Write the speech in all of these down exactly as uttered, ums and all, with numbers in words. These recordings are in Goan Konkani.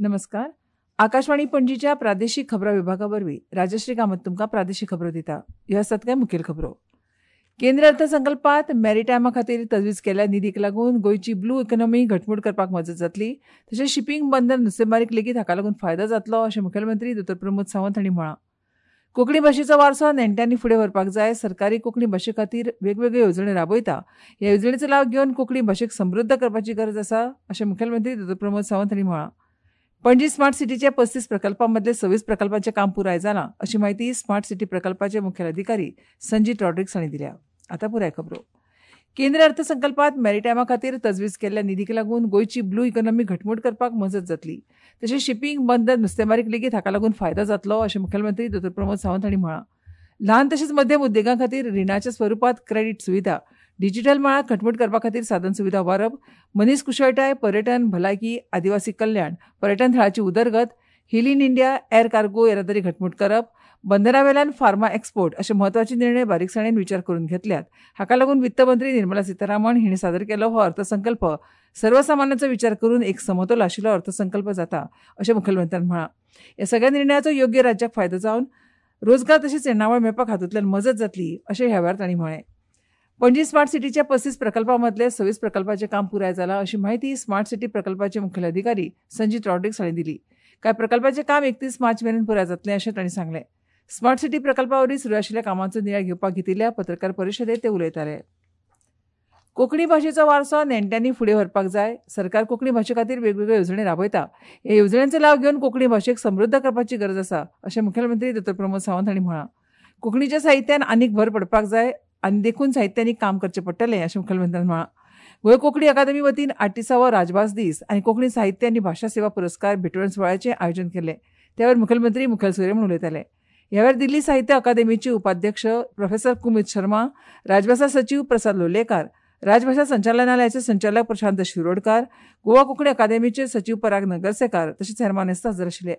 नमस्कार. आकाशवाणी पणजीच्या प्रादेशिक खबरां विभागा वरवीं राजश्री कामत तुमकां प्रादेशिक खबरो दिता. ह्यो आसात कांय मुखेल खबरो. केंद्र अर्थसंकल्पांत मॅरिटायमा खातीर तजवीज केल्ल्या निधीक लागून गोंयची ब्लू इकॉनॉमी घटमूट करपाक मजत जातली, तशेंच शिपींग बंदर नुस्तेमारीक लेगीत हाका लागून फायदो जातलो अशें मुखेलमंत्री दोतोर प्रमोद सावंत हांणी म्हळां. कोंकणी भाशेचो वारसो नेण्ट्यांनी फुडें व्हरपाक जाय. सरकारी कोंकणी भाशे खातीर वेगवेगळ्यो येवजण्यो राबयता. ह्या येवजणेचो लाव घेवन कोंकणी भाशेक समृद्ध करपाची गरज आसा अशें मुखेलमंत्री दोतोर प्रमोद सावंत हांणी म्हळां. पणजी स्मार्ट सिटीच्या पस्तीस प्रकल्पां मदले सव्वीस प्रकल्पांचें काम पुराय जालां अशी म्हायती स्मार्ट सिटी प्रकल्पाचे मुखेल अधिकारी संजीत रॉड्रिग्स हांणी दिल्या. आतां पुराय खबरो. केंद्र अर्थसंकल्पांत मॅरिटायमा खातीर तजवीज केल्ल्या निधीक लागून गोंयची ब्लू इकॉनॉमी घटमूट करपाक मजत जातली, तशेंच शिपींग बंदर नुस्तेमारीक लेगीत हाका लागून फायदो जातलो अशें मुखेलमंत्री दोतोर प्रमोद सावंत हांणी म्हळां. ल्हान तशेंच मध्यम उद्देगां खातीर रिणाच्या स्वरुपांत क्रेडीट सुविधा, डिजिटल मळार घटमूट करपा खातीर साधन सुविधा उबारप, मनीस कुशळटाय, पर्यटन, भलायकी, आदिवासी कल्याण, पर्यटन थळाची उदरगत, heal in India, air cargo येरादारी घटमूट करप, बंदरावेल्यान फार्मा एक्सपोर्ट अशे म्हत्वाचे निर्णय बारीकसाणेन विचार करून घेतल्यात. हाका लागून वित्तमंत्री निर्मला सीतारामन हिणें सादर केलो हो अर्थसंकल्प सर्वसामान्यांचो विचार करून एक समतोल आशिल्लो अर्थसंकल्प जाता अशें मुखेलमंत्र्यान म्हळां. ह्या सगळ्या निर्णयाचो योग्य राज्याक फायदो जावन रोजगार तशेंच येणावळ मेळपाक हातूंतल्यान मजत जातली अशें ह्या वेळार तांणी म्हळें. पणजी स्मार्ट सिटीच्या पस्तीस प्रकल्पां मदले सव्वीस प्रकल्पाचें काम पुराय जालां अशी म्हायती स्मार्ट सिटी प्रकल्पाचे मुखेल अधिकारी संजीत रॉड्रिग्स हांणी दिली. कांय प्रकल्पाचें काम एकतीस मार्च मेरेन पुराय जातलें अशें तांणी सांगलें. स्मार्ट सिटी प्रकल्पा वरवीं सुरू आशिल्ल्या कामांचो नियाळ घेवपाक घेतिल्ल्या पत्रकार परिशदेंत ते उलयताले. कोंकणी भाशेचो वारसो नेण्ट्यांनी फुडें व्हरपाक जाय. सरकार कोंकणी भाशे खातीर वेगवेगळ्यो येवजण्यो राबयता. ह्या येवजण्यांचो लाव घेवन कोंकणी भाशेक समृद्ध करपाची गरज आसा अशें मुखेलमंत्री दोतोर प्रमोद सावंत हांणी म्हळां. कोंकणीच्या साहित्यान आनीक भर पडपाक जाय आनी देखून साहित्यांनी काम करचें पडटलें अशें मुखेलमंत्र्यान म्हळां. गोंय कोंकणी अकादमी वतीन आठतीसावो राजभास दीस आनी कोंकणी साहित्य आनी भाशा सेवा पुरस्कार भेटवण सुवाळ्याचें आयोजन केलें. त्यावेळार मुखेलमंत्री मुखेल सोयरे म्हूण उलयताले. ह्या वेळार दिल्ली साहित्य अकादेमीचे उपाध्यक्ष प्रोफेसर कुमीत शर्मा, राजभाशा सचीव प्रसाद लोलयेकार, राजभाशा संचालनालयाचे संचालक प्रशांत शिरोडकार, गोवा कोंकणी अकादेमीचे सचीव पराग नगरसेकार तशेंच हेर मानेस्त हजर आशिल्ले.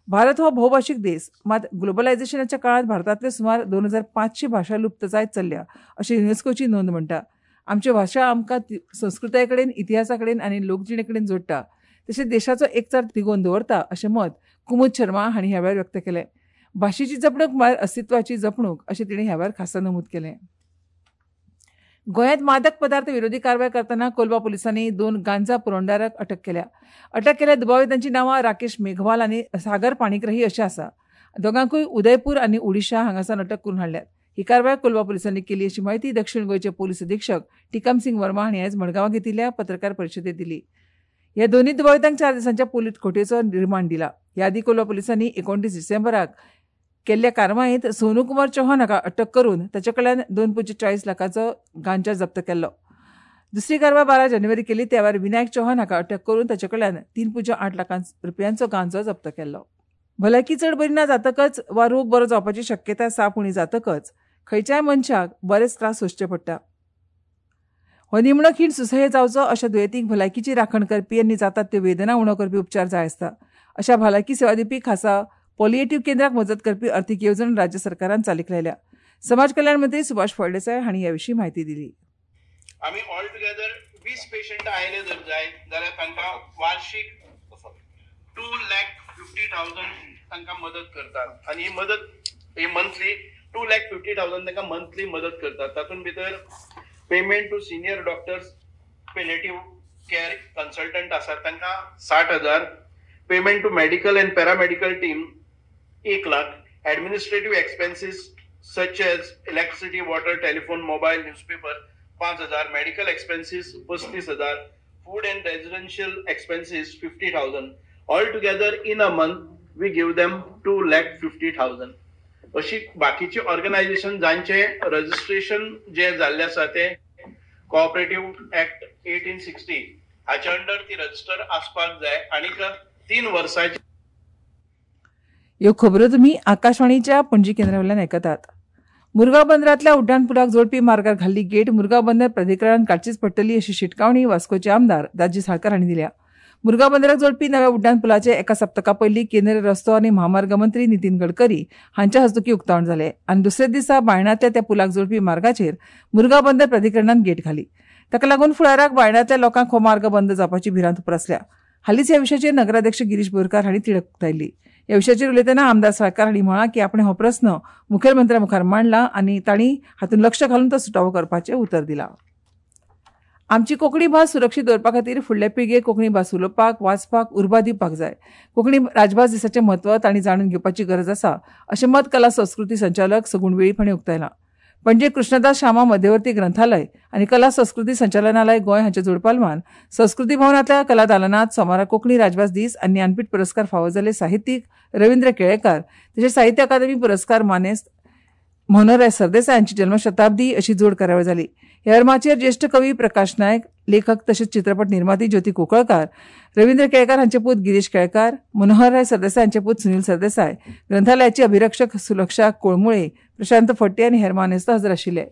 भारत हो भोवभाशीक देश, मात ग्लोबलायझेशनाच्या काळांत भारतांतले सुमार दोन हजार पांचशे भाशा लुप्त जायत चल्ल्या अशें युनेस्कोची नोंद म्हणटा. आमच्यो भाशा आमकां संस्कृताये कडेन, इतिहासा कडेन आनी लोकजिणे कडेन जोडटा, तशेंच देशाचो एकचार तिगोवन दवरता अशें मत कुमुद शर्मा हांणी ह्या वेळार व्यक्त केलें. भाशेची जपणूक म्हळ्यार अस्तित्वाची जपणूक अशें तिणें ह्या वेळार खासा नमूद केलें. गोंयांत मादक पदार्थ विरोधी कारवाय करतना कोलवा पुलिसांनी दोन गांजा पुरवणदाराक अटक केल्या. अटक केल्ल्या दुबावितांची नांवां राकेश मेघवाल आनी सागर पाणीग्रही अशें आसा. दोगांकूय उदयपूर आनी ओडिशा हांगासावन अटक करून हाडल्यात. ही कारवाय कोलवा पुलिसांनी केली अशी म्हायती दक्षिण गोंयचे पोलीस अधिक्षक टिकम सिंग वर्मा हांणी आयज मडगांवां घेतिल्ल्या पत्रकार परिशदेंत दिली. ह्या दोनूय दुबावितांक चार दिसांच्या पोलीस कोठयेचो रिमांड दिला. ह्या आदीं कोलवा पुलिसांनी एकोणतीस डिसेंबराक केल्ल्या कारवायेंत सोनू कुमार चौहान हाका अटक करून ताचे कडल्यान दोन पुज्य चाळीस लाखांचो गांजा जप्त केल्लो. दुसरी कारवाय बारा जानेवारी केली. त्या वेळार विनायक चौहान हाका अटक करून ताचे कडल्यान तीन पुज्य आठ लाखां रुपयांचो गांजो जप्त केल्लो. भलायकी चड बरी ना जातकच वा रोग बरो जावपाची शक्यताय साप उणी जातकच खंयच्याय मनशाक बरेच त्रास सोंसचे पडटा. हो निमणो खीण सुसह्य जावचो अशा दुयेंतींक भलायकीची राखण करपी आनी जातात त्यो वेदना उणो करपी उपचार जाय आसता. अशा भलायकी सेवा दिवपी खासा पॉलिएटीव्ह केंद्राक मजत करपी अर्थीक येवजण राज्य सरकारान चालीक लायल्या. समाज कल्याण मंत्री सुभाष फळदेसाय हांणी ह्या विशीं म्हायती दिली. आमी ऑल टुगेदर वीस पेशंट आयले जर जाय जाल्यार तांकां वार्षिक टू लॅक फिफ्टी थावजंड तांकां मदत करतात आनी ही मदत ही monthly two lakh fifty thousand तांकां मंथली मदत करतात. तातूंत भितर payment to senior doctors, palliative care consultant आसात तांकां साठ हजार, payment to medical and paramedical team एक lakh, administrative expenses such as electricity, water, telephone, mobile, newspaper पांच हजार, मेडिकल एक्सपेन्सीस पस्तीस हजार, food and residential expenses fifty thousand. All together in a month we give them two lakh fifty thousand. अशी बाकीची ऑर्गनायझेशन जांचे रजिस्ट्रेशन जे जाल्ले आसा ते कोऑपरेटिव्ह ऍक्ट एटीन सिक्स्टी हाच्या अंडर ती रजिस्टर आसपाक जाय आनी तीन वर्सांची. ह्यो खबरो तुमी आकाशवाणीच्या पणजी केंद्रा वयल्यान आयकतात. मुरगांव बंदरांतल्या उड्डाण पुलाक जोडपी मार्गार घाल्ली गेट मुरगांव बंदर प्राधिकरणान काडचीच पडटली अशी शिटकावणी वास्कोचे आमदार दाजी साळकार हांणी दिल्या. मुरगांव बंदराक जोडपी नव्या उड्डाण पुलाचे एका सप्तका पयलीं केंद्रीय रस्तो आनी म्हामार्ग मंत्री नितीन गडकरी हांच्या हस्तुकीं उक्तावण जालें आनी दुसऱ्या दिसा बायणांतल्या त्या पुलाक जोडपी मार्गाचेर मुरगांव बंदर प्राधिकरणान गेट घाली. ताका लागून फुडाराक बायणांतल्या लोकांक हो मार्ग बंद जावपाची भिरांत उप्रासल्या. हालींच ह्या विशयाचेर नगराध्यक्ष गिरीश बोरकार हांणी तिडक उक्तायल्ली. ह्या विशयाचेर उलयतना आमदार साळकार हांणी म्हळां की आपणें हो प्रस्न मुखेलमंत्र्या मुखार मांडला आनी तांणी हातूंत लक्ष घालून तो सुटावो करपाचें उतर दिलां. आमची कोंकणी भास सुरक्षीत दवरपा खातीर फुडले पिळगेक कोंकणी भास उलोवपाक, वाचपाक उर्बा दिवपाक जाय. कोंकणी राजभास दिसाचें म्हत्व तांणी जाणून घेवपाची गरज आसा अशें मत कला संस्कृती संचालक सगुण वेळीप हांणी उक्तायलां. पणजे कृष्णदास शामा मध्यवर्ती ग्रंथालय आनी कला संस्कृती संचालनालय गोंय हांच्या जोडपालवान संस्कृती भवनांतल्या कला दालनांत सोमारा कोंकणी राजभास दीस आनी ज्ञानपीठ पुरस्कार फावो जाल्ले साहित्यीक रवींद्र केळेकार तशेंच साहित्य अकादमी पुरस्कार मानेस्त मनोहरराय सरदेसाय हांची जल्मशताब्दी अशी जोड कार्यावळ जाली. ह्या माचयेर ज्येश्ठ कवी प्रकाश नायक, लेखक तशेंच चित्रपट निर्माती ज्योती कुंकळकार, रवींद्र केळेकार हांचे पूत गिरीश केळेकार, मनोहरराय सरदेसाय हांचे पूत सुनील सरदेसाय, ग्रंथालयाची अभिरक्षक सुलक्षा कोळमुळे, प्रशांत फडते आनी हेर मानेस्त हजर आशिल्ले.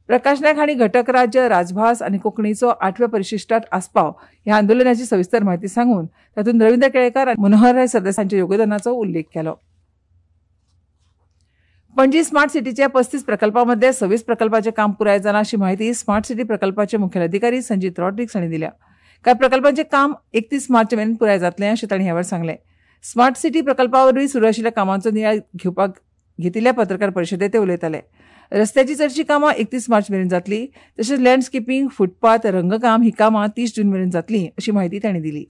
प्रकाश नायक हांणी घटक राज्य, राजभास आनी कोंकणीचो आठव्या परिशिष्टांत आस्पाव ह्या आंदोलनाची सविस्तर म्हायती सांगून तातूंत रवींद्र केळेकार आनी मनोहरराय सरदेसाय हांच्या योगदानाचो उल्लेख केलो. पणजी स्मार्ट सिटीच्या पस्तीस प्रकल्पां मदले सव्वीस प्रकल्पाचें काम पुराय जालां अशी म्हायती स्मार्ट सिटी प्रकल्पाचे मुखेल अधिकारी संजीत रॉड्रिग्स हांणी दिल्या. कांय प्रकल्पांचें काम एकतीस मार्च मेरेन पुराय जातलें अशें तांणी ह्या वेळार सांगलें. स्मार्ट सिटी प्रकल्पा वरवीं सुरू आशिल्ल्या कामांचो नियाळ घेवपाक घेतिल्ल्या पत्रकार परिशदेंत ते उलयताले. रस्त्याची चडशीं कामां एकतीस मार्च मेरेन जातली, तशेंच लँडस्केपिंग, फुटपाथ, रंगकाम ही कामां तीस जून मेरेन जातली अशी म्हायती तांणी दिली.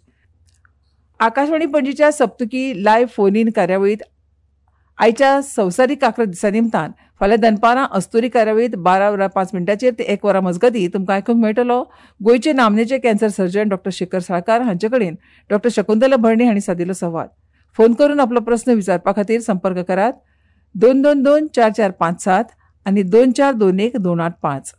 आकाशवाणी पणजीच्या सप्तकी लायव्ह फोन इन कार्यावळींत आयच्या संवसारीक कांक्र दिसा निमतान फाल्यां दनपारां अस्तुरी कार्यावळींत बारा वरां पांच मिनटांचेर ते एक वरां मजगतीं तुमकां आयकूंक मेळटलो गोंयचे नामनेचे cancer surgeon doctor Shekhar Salkar हांचे कडेन डॉक्टर शकुंतला भरणे हांणी सादिल्लो संवाद. फोन करून आपलो प्रस्न विचारपा खातीर संपर्क करात दोन दोन दोन चार चार पांच सात आनी दोन चार दोन एक दोन आठ पांच.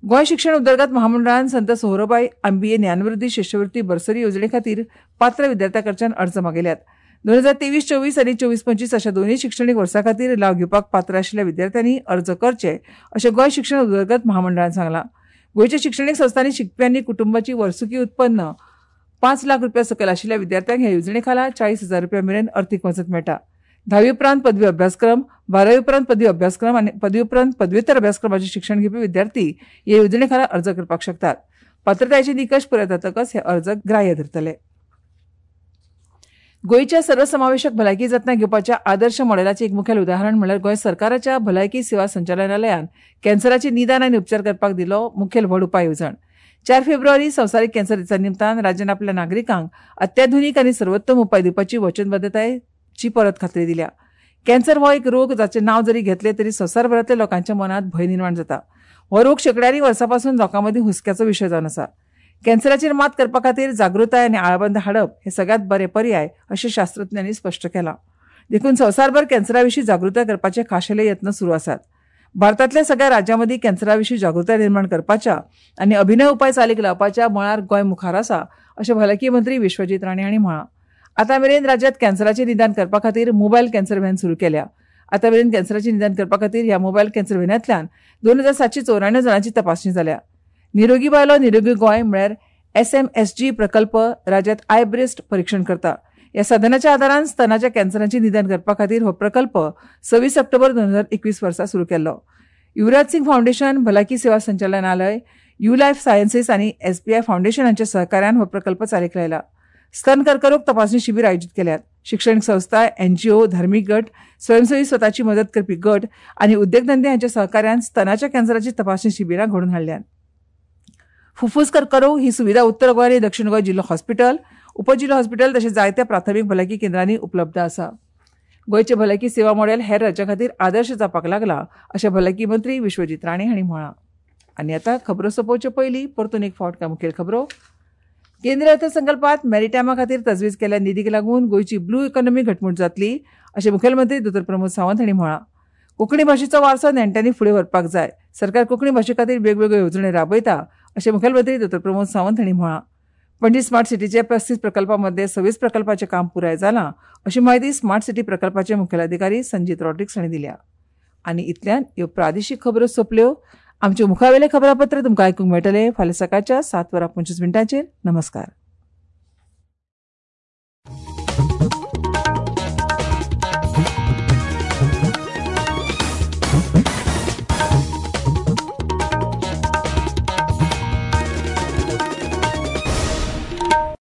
गोंय शिक्षण उदरगत महामंडळान संत सोहरोबाई आंबिये ज्ञानवृद्धी शिश्यवृत्ती बर्सरी योजने खातीर पात्र विद्यार्थ्यां कडच्यान अर्ज मागयल्यात. दोन हजार तेवीस चोवीस आनी चोवीस पंचवीस अशा दोनूय शिक्षणीक वर्सां खातीर लाव घेवपाक पात्र आशिल्ल्या विद्यार्थ्यांनी अर्ज करचे अशें गोंय शिक्षण उदरगत महामंडळान सांगलां. गोंयच्या शिक्षणीक संस्थांनी शिकप्यांनी कुटुंबाची वर्सुकी उत्पन्न पांच लाख रुपया सकयल आशिल्ल्या विद्यार्थ्यांक ह्या येवजणे खाला चाळीस हजार रुपया मेरेन अर्थीक मजत मेळटा. धावी उपरांत पदवी अभ्यासक्रम, बारावी उपरांत पदवी अभ्यासक्रम आनी पदवी उपरांत पदव्युत्तर अभ्यासक्रमाचें शिक्षण घेवपी विद्यार्थी हे येवजणे खाला अर्ज करपाक शकतात. पात्रतायेचे निकश पुराय जातकच हे अर्ज ग्राह्य धरतले. गोंयच्या सर्वसमावेशक भलायकी जतनाय घेवपाच्या आदर्श मॉडेलाचें एक मुखेल उदाहरण म्हणल्यार गोंय सरकाराच्या भलायकी सेवा संचालनालयान कॅन्सराचें निदान आनी उपचार करपाक दिलो मुखेल व्हड उपाय येवजण. चार फेब्रुवारी संवसारीक कॅन्सर दिसा निमतान राज्यान आपल्या नागरिकांक अत्याधुनीक आनी सर्वोत्तम उपाय दिवपाची वचनबद्धतायेची परत खात्री दिल्या. कॅन्सर हो एक रोग जाचें नांव जरी घेतलें तरी संवसारभरांतल्या लोकांच्या मनांत भंय निर्माण जाता. हो रोग शेंकड्यांनी वर्सां पासून लोकां मदीं हुस्क्याचो विशय जावन आसा. कॅन्सराचेर मात करपा खातीर जागृताय आनी आळाबंद हाडप हे सगळ्यांत बरे पर्याय अशें शास्त्रज्ञांनी स्पश्ट केलां. देखून संवसारभर कॅन्सरा विशीं जागृताय करपाचे खाशेले यत्न सुरू आसात. भारतांतल्या सगळ्या राज्यां मदीं कॅन्सरा विशीं जागृताय निर्माण करपाच्या आनी अभिनव उपाय चालीक लावपाच्या मळार गोंय मुखार आसा अशें भलायकी मंत्री विश्वजीत राणे हांणी म्हळां. आतां मेरेन राज्यांत कॅन्सराचें निदान करपा खातीर मोबायल कॅन्सर व्हॅन सुरू केल्या. आतां मेरेन कॅन्सराचें निदान करपा खातीर ह्या मोबायल कॅन्सर व्हॅनांतल्यान दोन हजार सातशे चौऱ्याण्णव जाणांची तपासणी जाल्या. निरोगी बायलो निरोगी गोंय म्हळ्यार एस एम एस जी प्रकल्प राज्यांत I breast परीक्षण करता. ह्या साधनाच्या आदारान स्तनाच्या कॅन्सराचें निदान करपा खातीर हो प्रकल्प सव्वीस ऑक्टोबर दोन हजार एकवीस वर्सा सुरू केल्लो. युवराज सिंग फावंडेशन, भलायकी सेवा संचालनालय, you life sciences आनी एस बी I foundation हांच्या सहकार्यान हो प्रकल्प चालीक लायला. स्तन कर्करोग तपासणी शिबीर आयोजीत केल्यात. शिक्षणीक संस्था, एनजीओ, धार्मीक गट, स्वयंसेवी स्वताची मदत करपी गट आनी उद्देगधंदे हांच्या सहकार्यान स्तनाच्या कॅन्सराची तपासणी शिबिरां घडोवन हाडल्यात. फुफ्फुस कर्करोग ही सुविधा उत्तर गोंय आनी दक्षिण गोंय जिल्लो हॉस्पिटल, उपजिल्लो हॉस्पिटल तशेंच जायत्या प्राथमीक भलायकी केंद्रांनी उपलब्ध आसा. गोंयचें भलायकी सेवा मॉडेल हेर राज्यां खातीर आदर्श जावपाक लागला अशें भलायकी मंत्री विश्वजीत राणे हांणी म्हळां. आनी आतां खबरो सोंपोवचे पयलीं परतून एक फावट काय मुखेल खबरो. केंद्रीय अर्थसंकल्पांत मॅरिटायमा खातीर तजवीज केल्ल्या निधीक लागून गोंयची ब्लू इकॉनॉमी घटमूट जातली अशें मुखेलमंत्री दोतोर प्रमोद सावंत हांणी म्हळां. कोंकणी भाशेचो वारसो नेण्ट्यांनी फुडें व्हरपाक जाय. सरकार कोंकणी भाशे खातीर वेगवेगळ्यो येवजण्यो राबयता अशें मुखेलमंत्री दोतोर प्रमोद सावंत हांणी म्हळां. पणजी स्मार्ट सिटीच्या पस्तीस प्रकल्पां मदले सव्वीस प्रकल्पाचें काम पुराय जालां अशी म्हायती स्मार्ट सिटी प्रकल्पाचे मुखेल अधिकारी संजीत रॉड्रिग्स हांणी दिल्या. आनी इतल्यान ह्यो प्रादेशीक खबरो सोंपल्यो. आमच्यो मुखावेलें खबरापत्र तुमकां आयकूंक मेळटलें फाल्यां सकाळच्या सात वरां पंचवीस मिनटांचेर. नमस्कार.